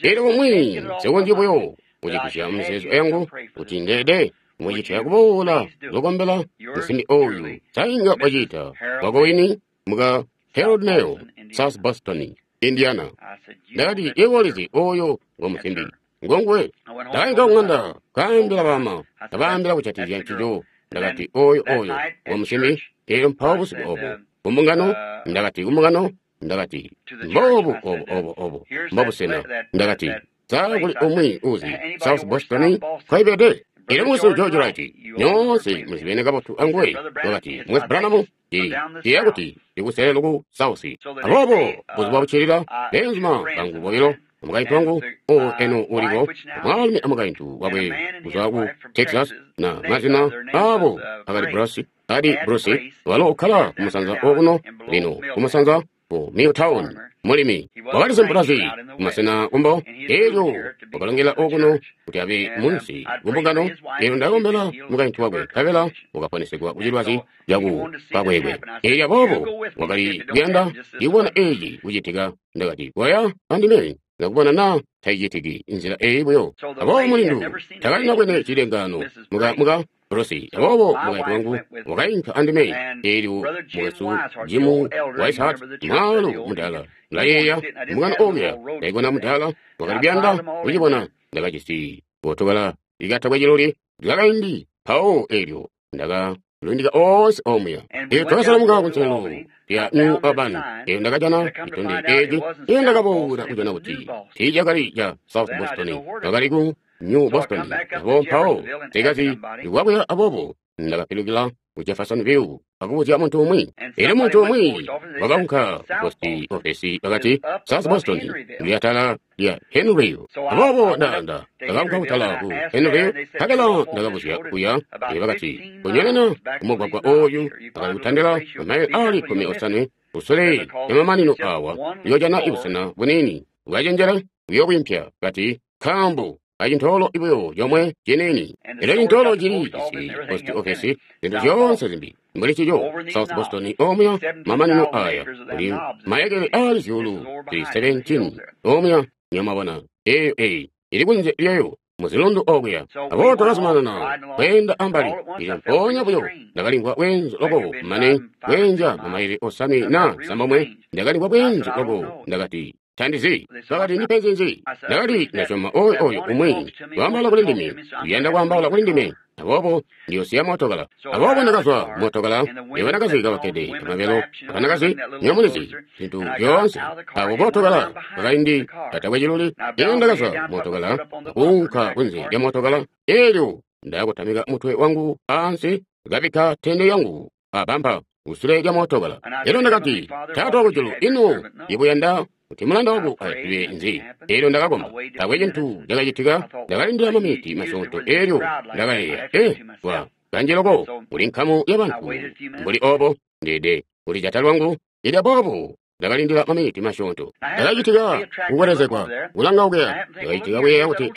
Elyo bumwi nsikonzyi buyo kucigwisya mumizeezo yangu kuti ndeede mucitya kuboola kuzokombela musimbi oyu. Sainga wacita wako wini muka Harold Nail, South Boston, Indiana. Ndakati, yebo ulizi oyo ngo musimbi ngonguwe. Ndakainka kung'anda kaambila bama, kabaambila kucatizya ncico. Ndakati, oyo oyo wamusimbi. Elyo mpawo busiku obo kumbungano, Ndakati kumbungano, Ndakati, mbobu obo obo obo mbobusena. Ndakati, sa kuli umwi uzi South Boston kwaibede? Elyo mukwesu George Wright, nyoonse muzibene kabotu anguwe, wakati, Mukwesu Branham, ndiyeeya kuti ndikuselelo ku South. Aboobo buzuba buccilila, beenzuma bangu bobilo, mukaintu wangu eno uliko, mwaalumi amukaintu wakwe kuzwa ku Texas, na mazina abo akali Bruce, adi Bruce, walo ukkala kumusanza okuno lino kumusanza ku Milltown, mulimi wakali simpulazi kumasena kumbo. Elyo wakalongela okuno kuti abe munsi kumbungano. Elyo ndakombela mukaintu wakwe, nkabela wakaponesegwa kucilwazi caku kakwekwe. Elyo aboobo wakali kuyanda ndikubona eci kucitika. Ndakati, koya andime ndakubona na taicitiki nzila eyi buyo. Aboobo mulindu takalina bwene cilengaano muka Bruce. Aboobo mukaintu wangu wakainka andime. Elyo mukwesu Jim Wishart, mwaalu mudala, ndayeeya mbungano okuya, ndaibona mudala, wakali kuyanda kucibona. Ndakajisi botokala ikatakwe ciluli lyakaindi mpawo, elyo ndakalundika oonse omuya. Elyo twakasalamuka kunselelo lya New Albany. Elyo ndakajana citondezyo eci. Elyo ndakaboola kujana kuti tiicakali ca South Boston, wakali ku New Boston. Abo mpawo tekazi ikwakuya. Aboobo ndakapilukila ku Jeffersonville akubuzya muntu umwi. Elyo muntu umwi wakaunka ku post office, bakati, South Boston ili atala lya Henryville. Aboobo ndakaunka kutala ku Henryville, nkabela ndakabuzya kuya. Elyo bakati, kunyonena kumugwagwa oyu akali kutandila mamayile ali 15 kusule lyamamanino awa, uyoojana ibusena buniini bwacenjela buyobwimpya, kati, nkaambo acintoolo ibuyo comwe ciniini. Elyo cintoolo cili jisi post office, zintu zyoonse zimbi mbuli cico. South Boston omuya mamanino aya kuli mayekele ali zyuulu zili 17 omuya, nyamwabona, eyo eyi ili kunze lyayo muzilundu okuya. Aboobo twakazumanana kweenda ambali. Elyo mpoonya buyo ndakalimvwa bweenzu loko, mane kweenzya mamayile 5 na 9, ndakalimvwa bweenzu loko. Ndakati, tandizi. Bakati, ndipenzi nzi? Ndakati, ndasyoma oyo oyo umwi waambaula kuli ndime uyanda kwaambaula kuli ndime, aboobo ndiyosiya mootokala. Aboobo ndakazwa mootokala, abanakazi kabakkede amabelo, abanakazi, nyomulizi, zintu zyoonse, abo bootokala kakaindi katakwe ciluli. Elyo ndakazwa mootokala akuunka kunze lya mootokala. Elyo ndakutamika mutwe wangu aansi, kabikka tende yangu abampa kusule lya mootokala. Elyo ndakati, Taata wakujulu, ino ibuyanda kuti mulanda wangu azibe nzi? Elyo ndakakomba, taakwe cintu cakacitika. Ndakalindila maminiti masyoonto. Elyo ndakayeeya, wa kanji loko kuli nkamu ya bantu mbuli obo, ndeede kulijata lwangu. Elyo aboobo ndakalindila maminiti masyoonto. Ndakacitika kukwelezegwa kulanga okuya. Ndakacitika kuyeeya kuti,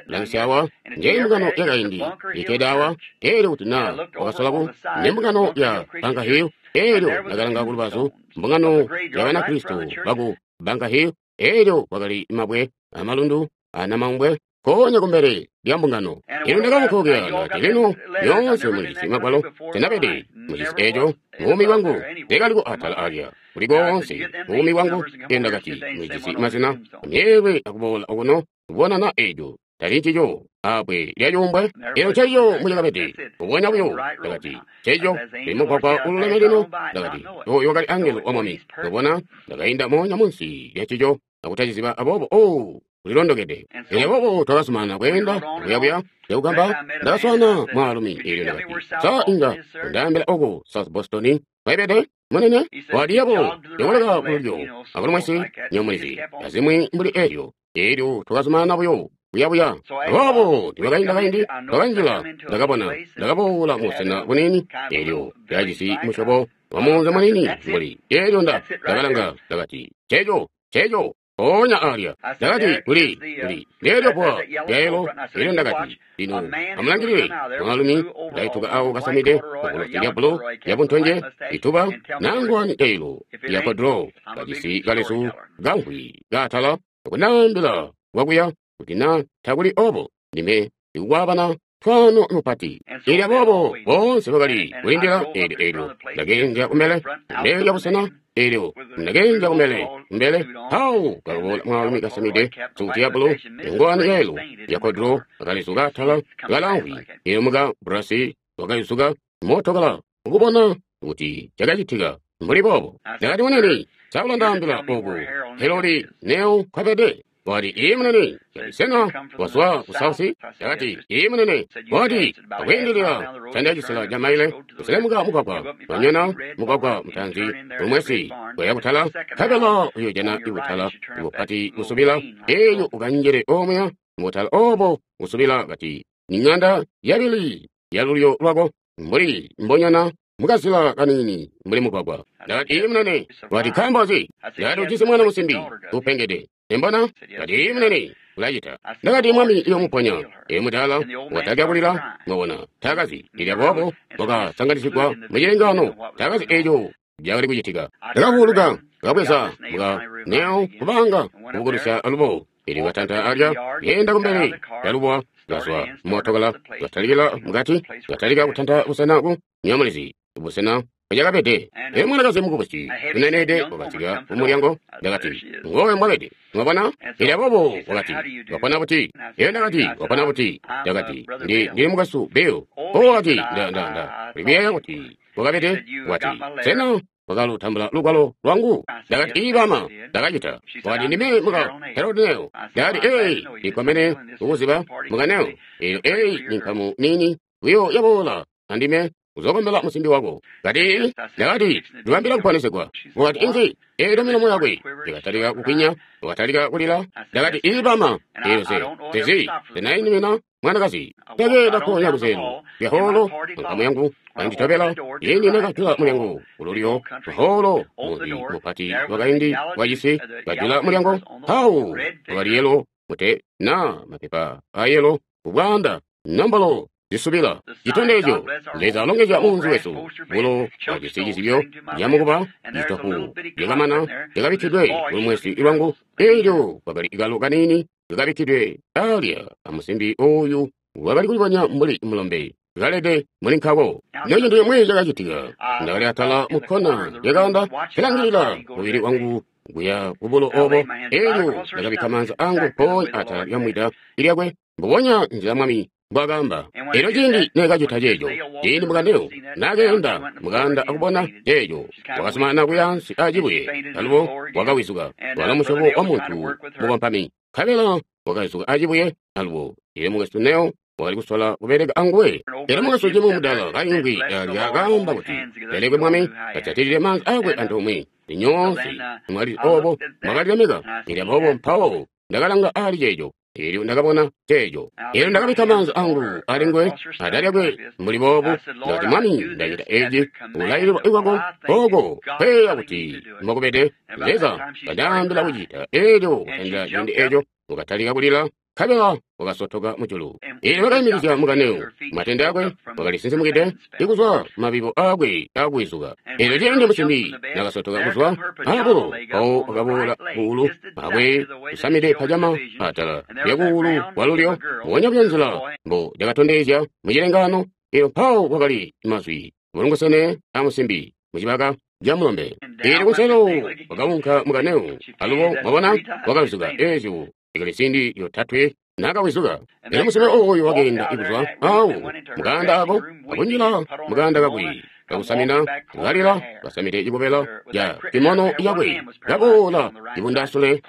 langisya awa, nje mbungano yakaindi ikkede awa. Elyo kuti na wakasola ku ne mbungano ya Bunker Hill. Elyo ndakalanga kulubazu, mbungano ya Banakristo baku Bunker Hill. Elyo kwakali mabwe amalundu anamaumbwe nkoonya kumbele lya mbungano. Elyo ndakaunka okuya, ndakati, lino nyoonse mulijisi magwalo, senabede mujisi eco mubuumi bwangu, teekaliko atala alya kuli koonse mubuumi bwangu. Elyo ndakati, mulijisi mazina amyeelwe akuboola okuno kubona na eco tali ncico abwe lya cuumbwe. Elyo nceco mucakabede, mbubonya buyo. Ndakati, nceco li mugwagwa ululeme lino. Ndakati, oyo wakali angelo wa Mwami. Mwabona, ndakainda moonya munsi lya ncico akutaciziba. Aboobo, oh, ulilondokede. Elyo aboobo twakazumanana kweenda kuyabuya. Cakugamba, ndakaswaana mwaalumi. Elyo ndakati, sa inga undaambila oko South Boston kwaibede, munene? Wali yabo yokoleka kululyo akulumwesi, nyomulizi, azimwi mbuli elyo. Elyo twakazumanana buyo kuyabuya. Aboobo nibakainda kaindi, twakanjila. Ndakabona, ndakaboola mubusena buniini. Elyo lyakajisi musyobo wa muunzi muniini mbuli. Elyo ndakalanga, ndakati, nceco, nceco mpoonya alya. Ndakati, kuli kuli leelyo bbwa lyaelo. Elyo ndakati, lino amulangilile mwaalumi ndaituka awo kasamide obolosi lya bulu lyabuntonje ituba nangwani yailo ya kodro, kajisi kalezu kamvwi kaatala, akundaambila kwakuya kuti na takuli obo ndime ndikukwaabana twaano mupati. Elyo aboobo boonse bakali kulindila. Elyo elyo ndakeenzya kumbele, kumbele lya busena. Elyo ndakeenzya kumbele, kumbele mpawo kakaboola mwaalumi kasamide suti ya bulu, ngowani yailo ya kodro, akalezu kaatala kalamvwi. Elyo muka Brasi Wakayusuka mootokala ukubona kuti cakacitika mbuli boobo. Ndakati, munene, sa ulandaambila oku Helodi Neo nkwabede? Wakati, iye munene. Ndakati, sena wazwa ku South? Ndakati, iye munene. Wakati, akwiindilila canda cisela ca maile kuselemuka mugwagwa, wanyona mugwagwa mutaanzi lumwesi kuya kutala, nkabela uyojana ibutala bupati busubila, elyo ukanjile omuya mubutala obo busubila. Kati, ni ng'anda yabili yalulyo lwako mbuli mbonyana mukazila kanini mbuli mugwagwa. Ndakati, iye munene. Wakati, nkaambo nzi? Ndakati, ujisi mwana musimbi upengede. Embona? Ndakati, iye munene, ulacita. Ndakati, mwami iyomuponya. Elyo mudala wakatalika kulila, mwabona, taakazi. Elyo aboobo wakasanganisigwa mucilengaano, taakazi eco cakali kucitika. Ndakavuuluka, kabweza muka Neo kubanga kubukulusya alubo. Elyo katanta alya, yenda kumbele yalubowa, kazwa mootokala, katalikila mukati, katalika kutanta busena ku nyamulizi, busena bwacakabede. Elyo mwanakazi mukubusi uneneede wakasika kumulyango. Ndakati, ngowe mwabede. Mwabona? Elyo aboobo wakati, wapona buti? Elyo ndakati, wapona buti? Ndakati, ndili mukwesu Bill. O wakati, nda ndikuyeeya kuti wakabede. Wakati, sena wakalutambula lugwalo lwangu? Ndakati, ii bama, ndakacita. Wakati, ndime muka Harold Neo. Ndakati, ee, ndikkomene kukuziba muka Neo. Elyo eyi ni nkamu niini buyo yaboola andime uzokombela musimbi wako. Kati, ndakati, ndibambila kuponesegwa. Wakati, inzi? Elyo milomo yakwe yakatalika kukwinya, wakatalika kulila. Ndakati, ii bama. Elyo se tezi tenainimina mwanakazi. Ndakeenda konya kuzelu lyaholo, nkamu yangu kanditobela. Ine nakajula mulyango kululyo lwaholo, munzi mupati wakaindi wacisi. Kajula mulyango, mpawo wakali yelo mute na mapepa ayelo kubwanda nombolo zisubila chitondezyo. Leza alongezya munzi wesu. Bulo bwajisi cizibyo lyamukuba itofu lyakamana lyakabikkidwe kulumwesi lwangu. Elyo kwakali kalo kanini kakabikkidwe alya amusimbi oyu wakali kulibonya mbuli mulombe kalede muli nkako. Necintu cimwi cakacitika. Ndakali atala mukkona lyakaanda, kalangilila mubili wangu kuya kubulo obo. Elyo ndakabikka maanza angu mpoonya atala lyamwida lyakwe, mbubonya nzila Mwami mbwakaamba. Elyo ciindi neekacita ceeco, ciindi mukaneo nakeenda mukanda akubona ceeco, wakazumanana kuya ansi acibuye, alubo wakawizuka. Walo musyobo wa muntu mukompami, nkabela wakawizuka acibuye alubo. Elyo mukwesu Neo wakali kusola kubeleka anguwe. Elyo mukwesu Jim mudala kaingwi alya kaamba kuti, lelekwe Mwami, kajatilile maanza akwe antoomwe. Nyoonse mwali obo mwakalilemeka. Elyo aboobo mpawo ndakalanga ali ceeco. Elyo ndakabona ceeco. Elyo ndakabikka maanza angu ali nguwe atala lyakwe mbuli boobu. Ndakati, Mwami, ndacita eci kulaililwa kwako oko kweeya kuti mbokubede. Leza kandaambila kucita. Elyo kutandila ciindi eco wakatalika kulila, nkabela wakasotoka mujulu. Elyo wakaimikizya mukaneo matende akwe, wakalisinsimukide ikuzwa mabibo akwe akuwizuka. Elyo ciindi musimbi nakasotoka kuzwa abulo, mpawo wakaboola kuulu akwe kusamide pajama atala lyakuulu kwalulyo, mbubonya buyo nzila mbo lyakatondezya mucilengaano. Elyo mpawo kwakali mazwi bulungusene amusimbi mucibaka ca mulombe. Elyo kunselelo wakaunka mukaneo alubo, mwabona, wakawizuka. Ezyo ikali ziindi yotatwe nakawizuka. Elyo musimbi oyo wakeenda ikuzwa awo mukanda ako akunjila mukanda kakwe kakusamina, kalila kasamide cikobela ca kimono yakwe, kaboola cibundasule,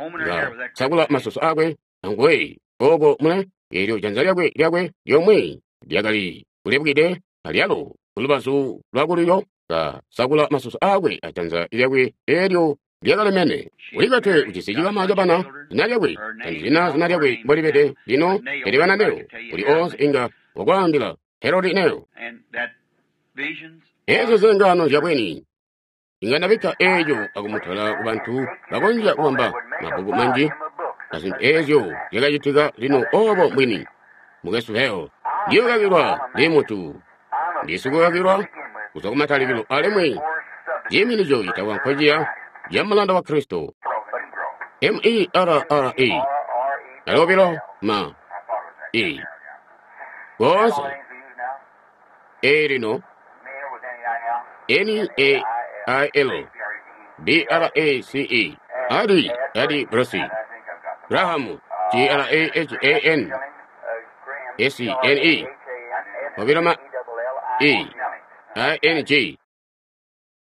kasakula masusu akwe anguwe oko mule. Elyo janza lyakwe lyomwe lyakali kulebukide alyalo kulubazu lwakululyo, kasakula masusu akwe ajanza lyakwe elyo lyakalemene. Ulikwetwe ujisi cikama cabana, zina lyakwe tandizina zina lyakwe mbolibede lino, pele bana Neo uli onse inga wakwaambila Herodi Neo. Ezo zilengano zyabweni inga ndabikka eco akumutola kubantu bakonzya kubamba mabbuku manji azintu ezyo zyakacitika lino obo mbwini. Mukwesu Heo, ndiyokakilwa ndi muntu, ndisikukakilwa kuzwa kumatalikilo, alimwi ciiminico citakwa nkociya ca mulanda wa Kristo. M-E-R-R-E alobilo ma E koonse E lino N-A-I-L B-R-A-C-E Adi Adi Brasi Graham G-R-A-H-A-N S-N-E obilo ma E I N G.